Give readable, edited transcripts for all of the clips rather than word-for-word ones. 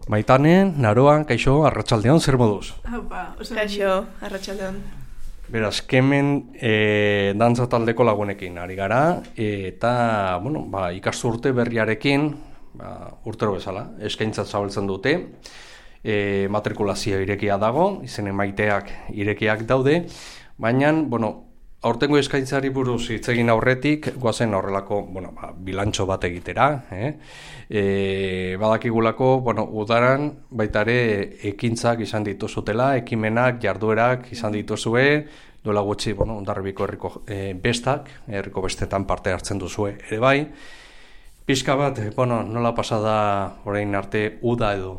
Maitane, Naroa, kaixo, arratsaldeon, zer moduz? Haupa, Kaixo, arratsaldeon. Beraz, kemen dantza taldeko lagunekin ari gara, eta, ikasturte berriarekin, urtero bezala, eskaintzat zabaltzen dute, matrikulazio irekia dago, izen emaiteak irekiak daude, baina, aurtengo eskaintzari buruz hitz egin aurretik, goazen horrelako, bilantxo bat egitera, badakigulako, udaran baitare ekintzak izan dituzutela, ekimenak, jarduerak izan dituzue, duela gutxi, Hondarribiko herriko bestak, herriko bestetan parte hartzen duzue ere bai. Pixka bat, nola pasada orain arte uda edo?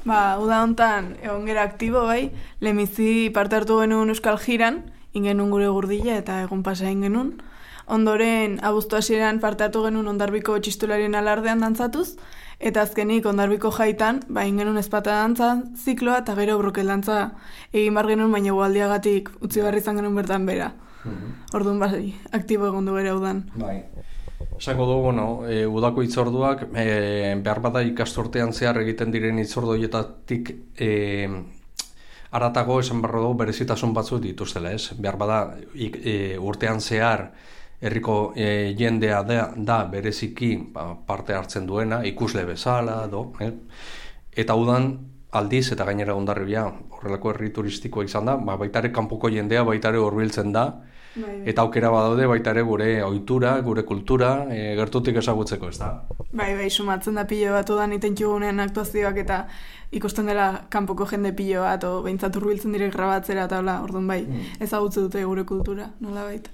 Uda hontan egon gera aktibo bai, lehenbizi parte hartu genuen Euskal Jiran, ingenun gure gurdila eta egun pasa ingenun. Ondoren, abuztu hasieran parte hartu genuen Hondarribiko txistularien alardean dantzatuz, eta azkenik Hondarribiko jaitan, ingenun ezpata dantza zikloa eta gero brokel dantza egin bar genuen, baina gualdiagatik utzi barri izan genuen bertan bera. Orduan aktibo egon du bera udan. Esango du, udako hitzorduak, behar bada ikasturtean zehar egiten diren hitzordoietatik aratago esan barro dugu berezitasun batzuk dituztela, ez? Behar bada urtean zehar herriko jendea da bereziki parte hartzen duena, ikusle bezala, eta udan aldiz eta gainera Hondarribia horrelako herri turistikoa izan da, baitare kanpoko jendea baitare hurbiltzen da, eta aukera badaude baitare gure ohitura, gure kultura gertutik ezagutzeko, ez da? Bai, sumatzen da pilo bat udan itentxugunean aktuazioak eta ikusten dela kanpoko jende pilo bat, o behintzat hurbiltzen direk grabatzera eta orduan ezagutze dute gure kultura, nola baita.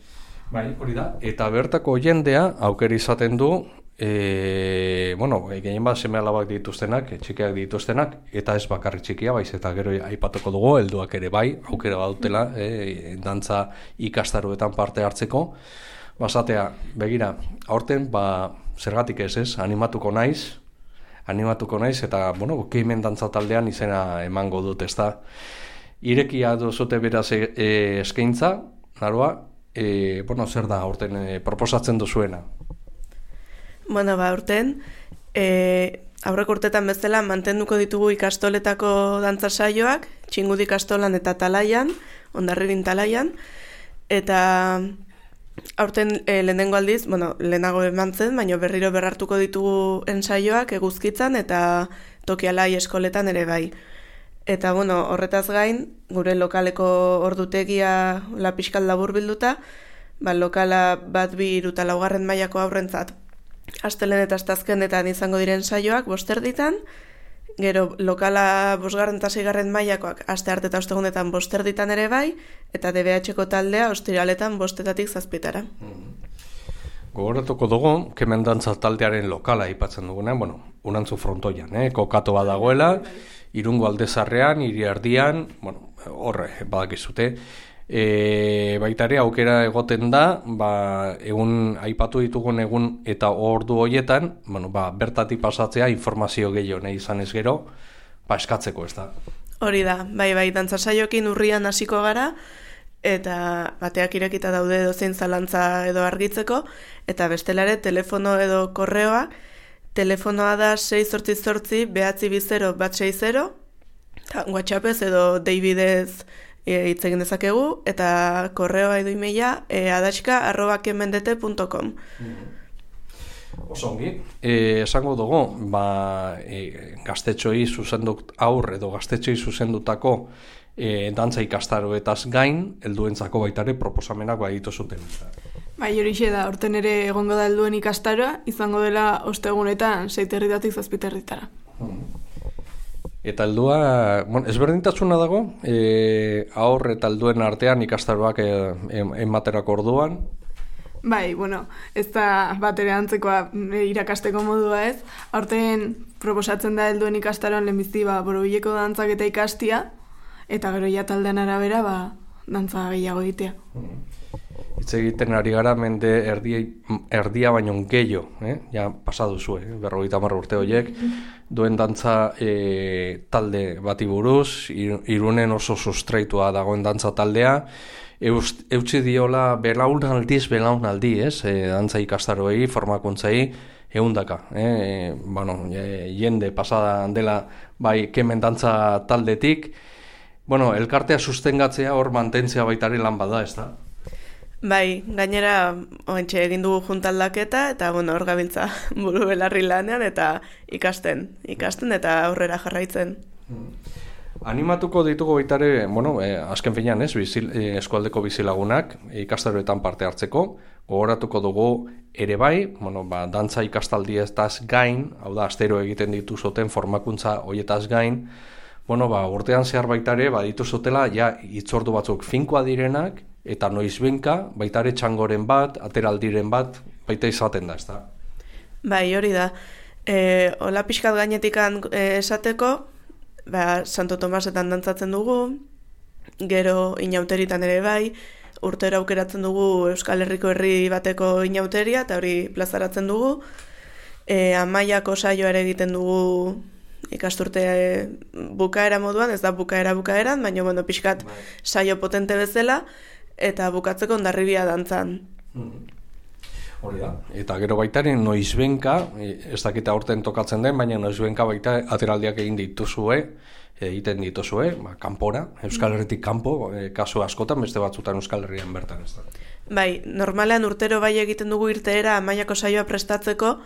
Bai, hori da. Eta bertako jendea aukera izaten du, gehien bat seme alabak dituztenak, txikiak dituztenak, eta ez bakarri txikia, baiz eta gero aipatuko dugu, helduak ere bai, aukera badutela, dantza ikastaroetan parte hartzeko. Basatea, begira, aurten, zergatik ez, animatuko naiz, eta, kemen dantza taldean izena emango dut, ez da. Irekia duzute beraz eskaintza, Naroa, zer da aurten proposatzen duzuena? Aurten, aurreko urtetan bezala mantenduko ditugu ikastoletako dantza saioak, Txingudi ikastolan eta Talaian, Hondarribin Talaian, eta aurten lehenengo aldiz, lehenago eman zen, baina berriro berrartuko ditugu ensaioak Eguzkitzan eta Tokialai eskoletan ere bai. Eta horretaz gain, gure lokaleko ordutegia pixkat labur bilduta, lokala 1, 2, 3 eta 4 mailako aurrentzat astelen eta astazkenetan izango diren saioak 5 erditan, gero lokala 5. eta 6. mailakoak aste arte eta ostegunetan 5 erditan ere bai, eta DBH-ko taldea ostiraletan 5-etatik 7-etara. Gogoratuko dugu, kemen dantza taldearen lokala aipatzen dugunean, Unantzu frontoian, kokatu badagoela, Irungo aldezarrean, hiri erdian, horre, badakizute. Baitare aukera egoten da, egun aipatu ditugun egun eta ordu horietan, bertatik pasatzea informazio gehiago nahi izan ez gero, eskatzeko, ez da. Hori da, bai, dantza saioekin urrian hasiko gara, eta bateak irekita daude edozein zalantza edo argitzeko, eta bestelare telefono edo korreoa, telefonoa da 688 920 160, WhatsAppez edo Davidez hitz egin dezakegu, eta korreoa edo emaila adaxka@kemendete.com. Osongi, esango dugu, gaztetxoei zuzendut edo gaztetxoei zuzendutako dantza ikastaroetaz gain, helduentzako baitare proposamenak baditu zuten. Horixe da, orten ere egongo da helduen ikastaroa, izango dela ostegunetan 6-etatik 7-etara. Eta heldua, ezberdintasuna dago, aur eta helduen artean ikastaroak ematerako orduan? Bai, ez da bat ere antzekoa irakasteko modua ez. Aurten proposatzen da helduen ikastaroan lehenbizi borobileko dantzak eta ikastia, eta gero ja taldean arabera dantza gehiago egitea. Hitz egiten ari gara mende erdia baino gehiago, ja pasadu zu, 50 urte horiek, duen dantza talde bati buruz, Irunen oso sustraitua dagoen dantza taldea, eutsi diola belaunaldi, dantza ikastaroei, formakuntzai, eundaka, jende pasada dela bai kemen dantza taldetik, elkartea sustengatzea hor mantentzea baitare lan bada, ez da? Bai, gainera oentxe egin dugu juntaldaketa eta hor gabiltza buru belarri lanean eta ikasten eta aurrera jarraitzen. Animatuko ditugu baitare, azken finean eskualdeko bizilagunak ikastaroetan parte hartzeko, gogoratuko dugu ere bai, dantza ikastaldietaz gain, hau da, astero egiten dituzoten formakuntza hoietaz gain, urtean zehar baitare, dituzotela, hitzordu batzuk finkoa direnak, eta noizbenka, baitare txangoren bat, ateraldiren bat, baita izaten da, ez da? Bai, hori da. Ola pixkat gainetikan esateko, Santo Tomasetan dantzatzen dugu, gero inauteritan ere bai, urtero aukeratzen dugu Euskal Herriko herri bateko inauteria, eta hori plazaratzen dugu. Amaiako saioa ere egiten dugu ikasturte bukaera moduan, ez da bukaeran, baina pixkat saio potente bezala, eta bukatzeko Hondarribia dantzan. Hori da. Eta gero baitaren noizbenka, ez dakita aurten tokatzen den, baina noizbenka baita ateraldiak egiten dituzue, kanpora, Euskal Herritik kanpo, kasu askotan, beste batzutan Euskal Herrian bertan, ez da. Bai, normalean urtero bai egiten dugu irteera Amaiako saioa prestatzeko,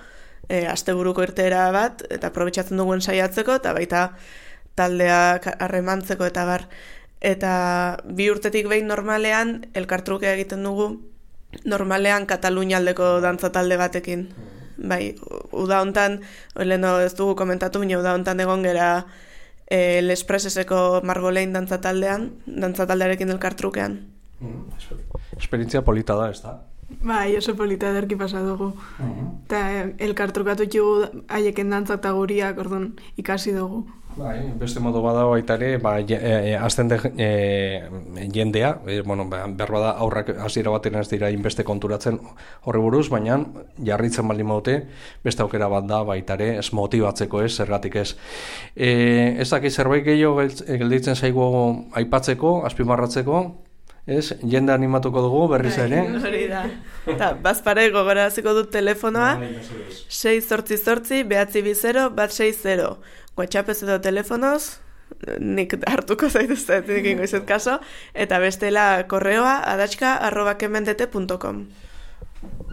asteburuko irteera bat, eta aprobetxatzen duguen saiatzeko, eta baita taldeak harremantzeko eta bar. Eta 2 urtetik behin normalean elkartrukea egiten dugu, normalean Katalunia aldeko dantza talde batekin. Bai, uda hontan, leheno ez dugu komentatu, baina uda hontan egon gera Lespreseseko Margolein dantza taldearekin elkartrukean. Esperientzia polita da, ez da? Bai, oso polita ederki pasa dugu. Eta elkartrukatu txugu haieken dantza eta guriak, orduan ikasi dugu. Bai, beste modu bada baita ere, azten jendea, berba da aurrak hasiera baten ez dira inbeste konturatzen horri buruz, baina jarritzen baldin badute, beste aukera bat da baita ere, ez motibatzeko ez, zergatik ez. Ez dakit zerbait gehiago gelditzen zaigu aipatzeko, azpimarratzeko, ez, jende animatuko dugu berriz ere. Hori da. Eta bazpare gogoraziko dut telefonoa, 688-920-160. WhatsAppez edo telefonoz, nik hartuko zaituzet, egingo izet kaso, eta bestela korreoa adatxka@kemendete.com.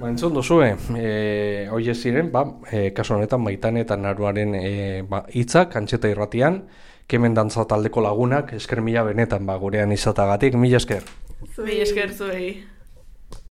Entzun duzue, hoi ziren, kasu honetan Maitane eta Naruaren hitzak, Antxeta Irratian, Kemen dantza taldeko lagunak, esker mila benetan gurean izatagatik, mila esker. Mila esker zuei.